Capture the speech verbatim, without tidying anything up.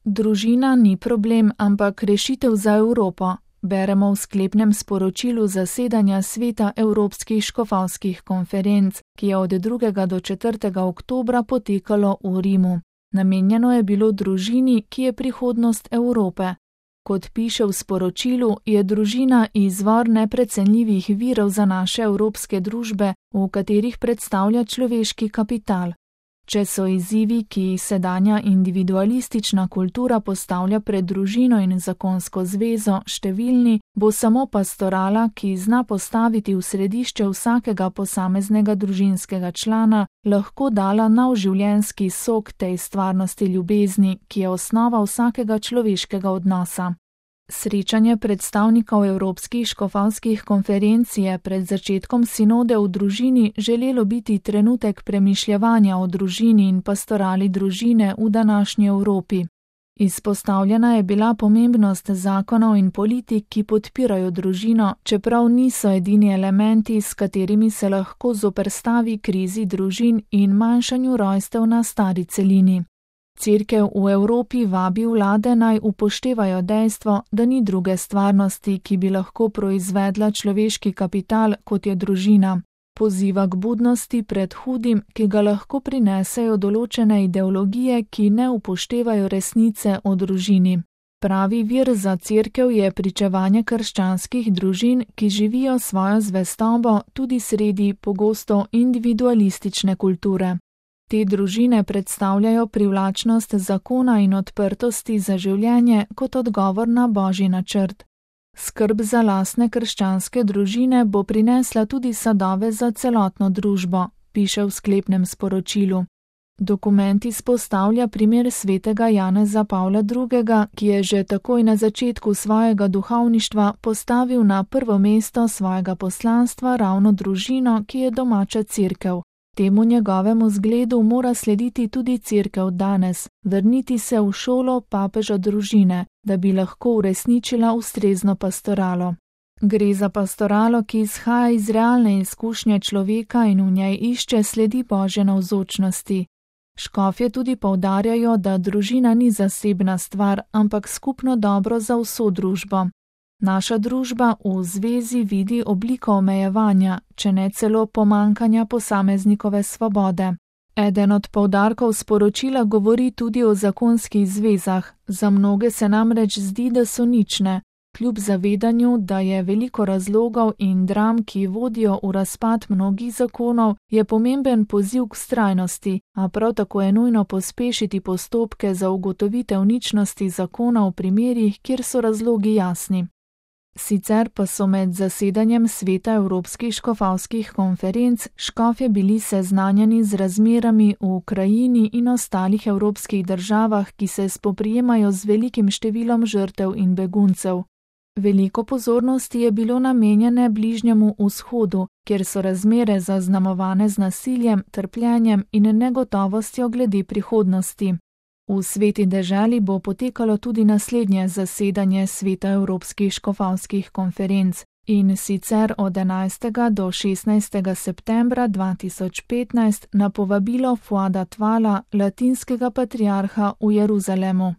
Družina ni problem, ampak rešitev za Evropo, beremo v sklepnem sporočilu zasedanja Sveta Evropskih škofovskih konferenc, ki je od drugega do četrtega oktobra potekalo v Rimu. Namenjeno je bilo družini, ki je prihodnost Evrope. Kot piše v sporočilu, je družina izvor neprecenljivih virov za naše evropske družbe, v katerih predstavlja človeški kapital. Če so izzivi, ki jih sedanja individualistična kultura postavlja pred družino in zakonsko zvezo, številni, bo samo pastorala, ki zna postaviti v središče vsakega posameznega družinskega člana, lahko dala nov življenjski sok tej stvarnosti ljubezni, ki je osnova vsakega človeškega odnosa. Srečanje predstavnikov Evropskih škofovskih konferenc je pred začetkom sinode v družini želelo biti trenutek premišljevanja o družini in pastorali družine v današnji Evropi. Izpostavljena je bila pomembnost zakonov in politik, ki podpirajo družino, čeprav niso edini elementi, s katerimi se lahko zoperstavi krizi družin in manjšanju rojstev na stari celini. Cerkev v Evropi vabi vlade naj upoštevajo dejstvo, da ni druge stvarnosti, ki bi lahko proizvedla človeški kapital, kot je družina. Poziva k budnosti pred hudim, ki ga lahko prinesejo določene ideologije, ki ne upoštevajo resnice o družini. Pravi vir za cerkev je pričevanje krščanskih družin, ki živijo svojo zvestobo tudi sredi pogosto individualistične kulture. Te družine predstavljajo privlačnost zakona in odprtosti za življenje kot odgovor na Božji načrt. Skrb za lastne krščanske družine bo prinesla tudi sadove za celotno družbo, piše v sklepnem sporočilu. Dokument izpostavlja primer svetega Janeza Pavla drugega., ki je že takoj na začetku svojega duhovništva postavil na prvo mesto svojega poslanstva ravno družino, ki je domača cerkev. Temu njegovemu zgledu mora slediti tudi cerkev danes, vrniti se v šolo papeža družine, da bi lahko uresničila ustrezno pastoralo. Gre za pastoralo, ki izhaja iz realne izkušnje človeka in v njej išče sledi Božje navzočnosti. Škofje tudi poudarjajo, da družina ni zasebna stvar, ampak skupno dobro za vso družbo. Naša družba v zvezi vidi obliko omejevanja, če ne celo pomankanja posameznikove svobode. Eden od poudarkov sporočila govori tudi o zakonskih zvezah. Za mnoge se namreč zdi, da so nične. Kljub zavedanju, da je veliko razlogov in dram, ki vodijo v razpad mnogih zakonov, je pomemben poziv k vztrajnosti, a prav tako je nujno pospešiti postopke za ugotovitev ničnosti zakona v primerih, kjer so razlogi jasni. Sicer pa so med zasedanjem Sveta Evropskih škofovskih konferenc škofje bili seznanjeni z razmerami v Ukrajini in ostalih evropskih državah, ki se spoprijemajo z velikim številom žrtev in beguncev. Veliko pozornosti je bilo namenjene Bližnjemu vzhodu, kjer so razmere zaznamovane z nasiljem, trpljenjem in negotovostjo glede prihodnosti. V Sveti deželi bo potekalo tudi naslednje zasedanje Sveta Evropskih škofovskih konferenc, in sicer od enajstega do šestnajstega septembra dva tisoč petnajst na povabilo Fuada Tvala, latinskega patriarha v Jeruzalemu.